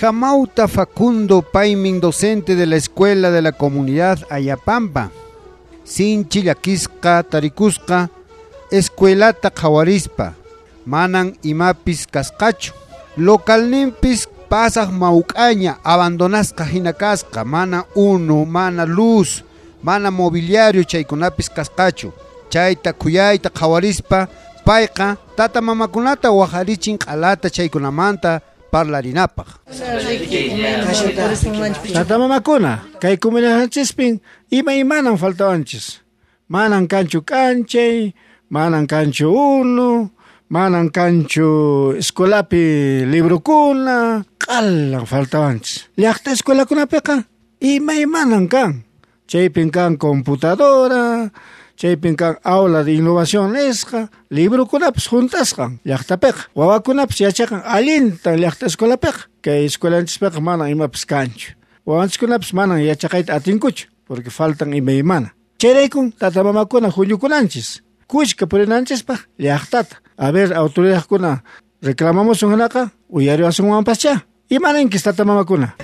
Hamauta Facundo Paymin, docente de la Escuela de la Comunidad Ayapampa. Sinchi llakisqa tarikusqa escuelata qhawarispa, manan imapis kasqachu. Localninpis pasaq mawk'aña abandonasqa hina kasqa, mana unu, mana luz, mana mobiliario chaykunapis kasqachu. Chayta khuyayta qhawarispa payqa tata mamakunata waqarichin q'alata chaykunamanta parlarinapaq. Tata mamakuna, kay comunidadchispin imaymanan faltawanchis. Manan kanchu k'anchay, manan kanchu unu, manan kanchu escuelapi librokuna, q'alan faltawanchis. Llaqta escuelakunapiqa imaymanan kan. Chaypin kan computadora, chaypin kan aula de innovación nisqa, librokunapis juntasqan llaqtapiqa. Wawakunapis yachaqan allintan llaqta escuelapiqa. Kay escuelanchispiqa manan imapis kanchu. Wawanchiskunapis manan yachaqayta atinkuchu, porque faltan imaymana. Chayraykun tata mamakuna huñukunanchis, kushka purinanchispaq llaqtata. A ver, autoridadkuna reclamamusun hinaqa uyariwasunwanpaschá. Imaninchis tata mamakuna?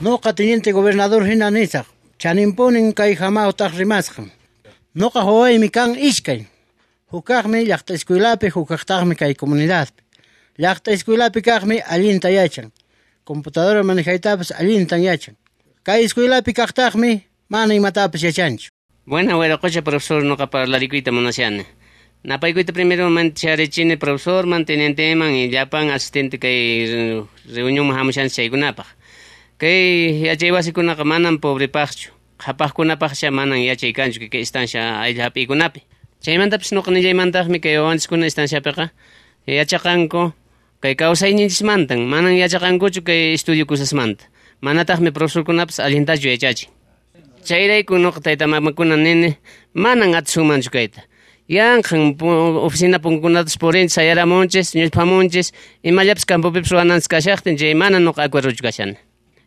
Noqa teniente gobernador hina nisaq, chaninpunin kay hamawtaq rimasqan. Noqa wawaymi kan iskay. Hukaqmi llaqta escuelapi, hukaqtaqmi kay comunidadpi. Llaqta escuelapi kaqmi allinta yachan. Computadora manejaytapas allintan yachan. Kay escuelapi kaqtaqmi mana imatapas yachanchu. Buena, wiraqocha profesor, noqa parlarikuyta munashani. Napaykuyta primero mancharichini profesor, mantenenteman y llapan asistente kay reunión hamushanchis chaykunapaq. Kay yachay wasikunaqa manan pobrepaqchu, qhapaqkunapaqcha manan yachay kanchu kay estancia ayllu hap'iykunapi. Chaymantapis noqa nillaymantaqmi kay wawanchiskuna estanciapiqa yachaqanku kay kawsayninchismantan, manan yachaqankuchu kay estudio cosasmanta. Manataqmi profesorkunapas allintachu yachachin. Chayrayku noqa tayta mamakuna nini, manan atisunmanchu kayta. Yanqan oficina punkunatas purinchis, sayaramunchis, ñuchpamunchis, imallapis campopipis ruwananchis kashaqtin, chay mana noqa acuerdochu kashani.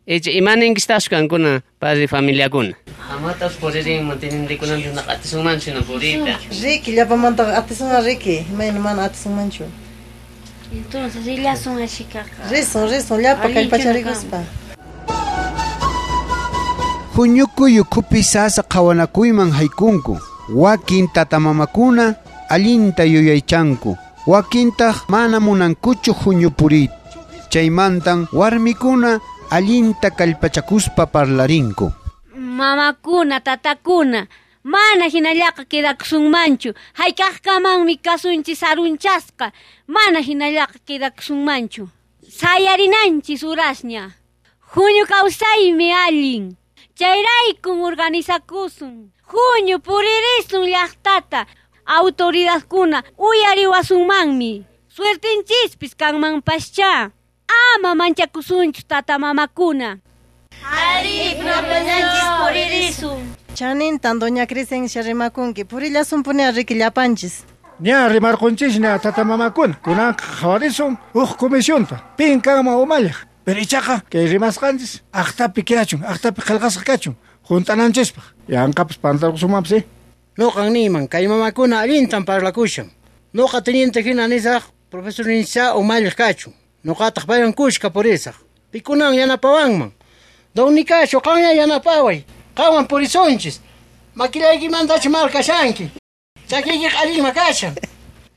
Icha imaninkistaqchu kankuna padre familiakuna? Hamatas puririnman, tenientekunanchis naqa atisunmanchu hina puriyta. Riki, llapamantaqa atisunman riki, imayna mana atisunmanchu. Entonces rillasun ashikaqa. Risun, risun, llapa kallpacharikuspa. Huñukuy ukhupi sasa qhawanakuyman haykunku. Wakin tatamamakuna allinta yuyaychanku, wakintaq mana munankuchu huñupuriyta. Chaymantan warmikuna allinta kallpachakuspa parlarinku. Mamakuna, tatakuna, mana hinallaqa quedakusunmanchu. Hayk'aqkamanmi kasunchis sarunchasqa, mana hinallaqa quedakusunmanchu. Sayarinanchis urasña. Huñu kawsaymi allin. Chayraykun organizakusun. Huñu puririsun llaqtata. Autoridadkuna uyariwasunmanmi. Suertinchispis kanmanpaschá. Ama manchakusunchu tata mamakuna. Ari, ñanchis puririsun. Chanintan doña Crescencia rimakunki, purillasunpuni riki llapanchis. Ña rimarqunchis tata mamakuna, kunanqa qhawarisun huk comisionta, pin kanman umalliq. Pero ichaqa kay rimasqanchis aqtapi kachun, aqtapi qillqasqa kachun, junt'ananchispaq. Yanqapas pantarqusunmanpas, eh? Noqan niyman, kay mamakuna allintan parlakushan. Noqa teniente hina nisaq, profesor nincha umalliq kachun. Noqataq paywan kushka purisaq. Pikunan yanapawanman. Don Nicasio, qanya yanapaway. Qanwan purisunchis. Makilaykimantachu markashanki. Chakiykiqa allinma kashan.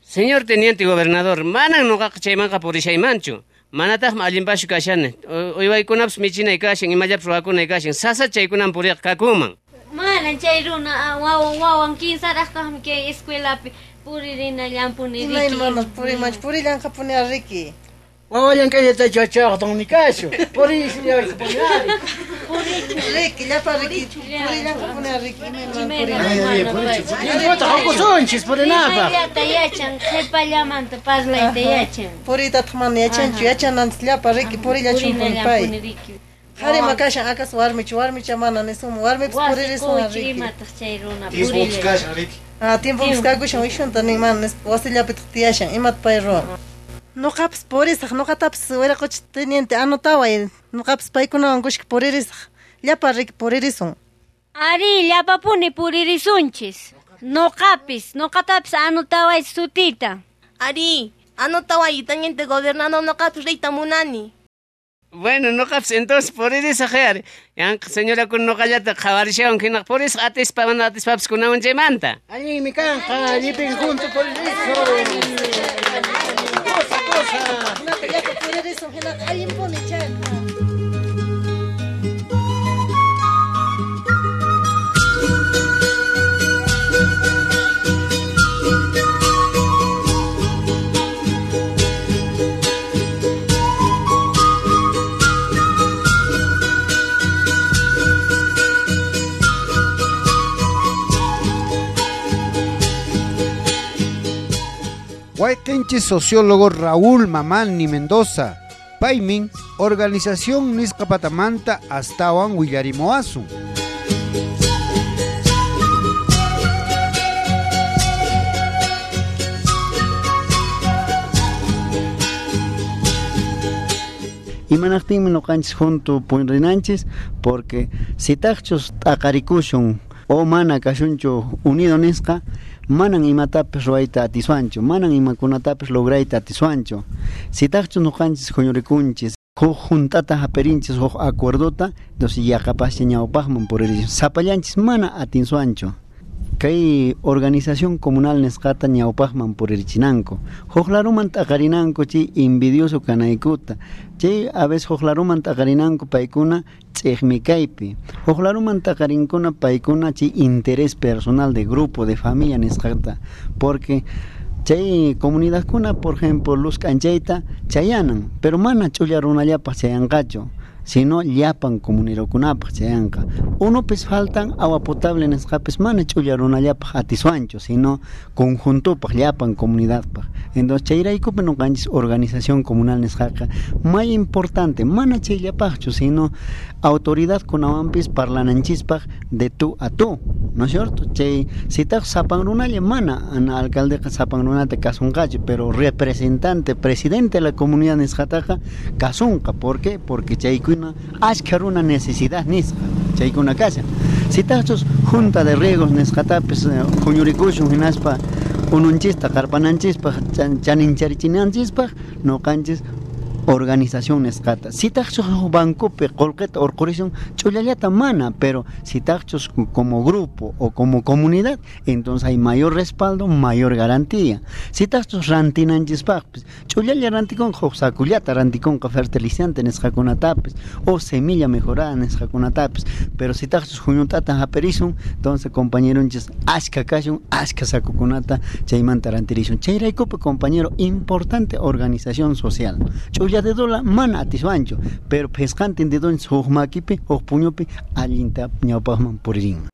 Señor teniente gobernador, manan noqaqa chaymanqa purishaymanchu. Manataqmi allinpaschu kashani. Uywaykunapas michinay kashan, imallapas ruwakunay kashan. Sasa chaykunan puriqa kakunman. Manan chay runa wawan wawan kinsaraqtaqmi kay escuelapi puririnallanpuni riki. Imayna mana purimanchu, purillanqapuni riki. Wawallan kayllatachu yachaq don Nicasio. Purillanqapuni. Riki, llapa riki, purillanqapuni riki, imayna mana purimanchu. Hakusunchis purinapaq. Llata yachan, qhipallamanta parlayta yachan. Puriytataq mana yachanchu, yachananchis llapa riki, purillachunpuni pay. Qharima kashan, acaso warmichu, warmicha mana nisunman, warmipis puririsun riki. Imataq chay runa Tiempopis kashan riki. Ah, tiempopis kakushan, uyshunta nin mana nispa, wasillapitaq tiyashan, imata pay ruwan. Noqapis purisaq, noqatapis wiraqocha teniente anotaway, noqapis paykunawan kushka puririsaq. Llapa riki puririsun. Ari, llapapuni puririsunchis. Noqapis, noqatapis anotaway sutita. Ari, anotaway teniente gobernador noqapis riyta munani. Bueno, noqapis entonces puririsaq ari. Yanqa señora kun noqallata qhawarishawan hinaq purisaq atispa mana atispapis kunawan chaymanta. Allinmi kanqa, llipin junto puririsun. Cosa, cosa. Hinaqa llapa puririsun hinaqa allinpuni chayqa. Wayqinchis sociólogo Raúl Mamani Mendoza, paymin organización nisqa patamanta astawan willarimoasun. Imanaqtinmi noqanchis junto purinanchis porque si taqchus t'aqarikushun o mana kashunchu unido nisqa manan imatapis ruwayta atiswanchu, manan imakunatapis lograyta atiswanchu. Si taqchus noqanchis huñurikunchis huk juntata haperinchis huk acuerdota, entonces yaqapascha ñawpaqman puririsun. Sapallanchis mana atinsuanchu. Kay organización comunal nisqata ñawpaqman puririchinanku. Huk laruman t'aqarinanku chay envidioso kanaykuta. Chay a veces huk laruman t'aqarinanku paykuna ch'iqmi kaypi. Huk laruman t'aqarinkuna paykuna chay interés personal de grupo, de familia nisqata. Porque chay comunidadkuna, por ejemplo, luz k'anchayta chayanan, pero mana ch'ulla runallapaq chayanqachu, sino llapan comunirokunapaq chayanqa. Unupis faltan agua potable nisqapis mana ch'ulla runallapaq atiswanchu, sino conjuntopaq llapan comunidadpaq. Entonces chayraykupi noqanchis organización comunal nisqaqa may importante, mana chayllapaqchu, sino autoridad kunawanpis parlananchispaq de tú a tú, ¿no es cierto? Chay sitaq sapan runalla mana ana alcaldeqa sapan runata kasunqachu, pero representante, presidente de la comunidad nisqataqa kasunqa. ¿Por qué? Porque chaykuna ashka runa necesidad nisqa chaykuna kashan. Sitaqchus junta de riegos nisqatapis huñurikushun hinaspa ununchista qarpananchispaq chanincharichinanchispa noqanchis organización nisqata. Sitaqchus bancopi qullqita urqurisun ch'ullallata mana, pero sitaqchus como grupo o como comunidad, entonces hay mayor respaldo, mayor garantía. Sitaqchus rantinanchispaqpis ch'ullalla rantikunqa huk sakullata rantikunqa fertilizante nisqakunatapis o semilla mejorada nisqakunatapis, pero sitaqchus huñutata hapirisun, entonces compañeronchis ashka kashun, ashka sakukunata chaymanta rantirisun. Chayraykupi compañero, importante organización social. Ch'ulla dedola mana atiswanchu, pero phisqantin dedonchis huk makipi, huk puñupi allinta ñawpaqman puririnman.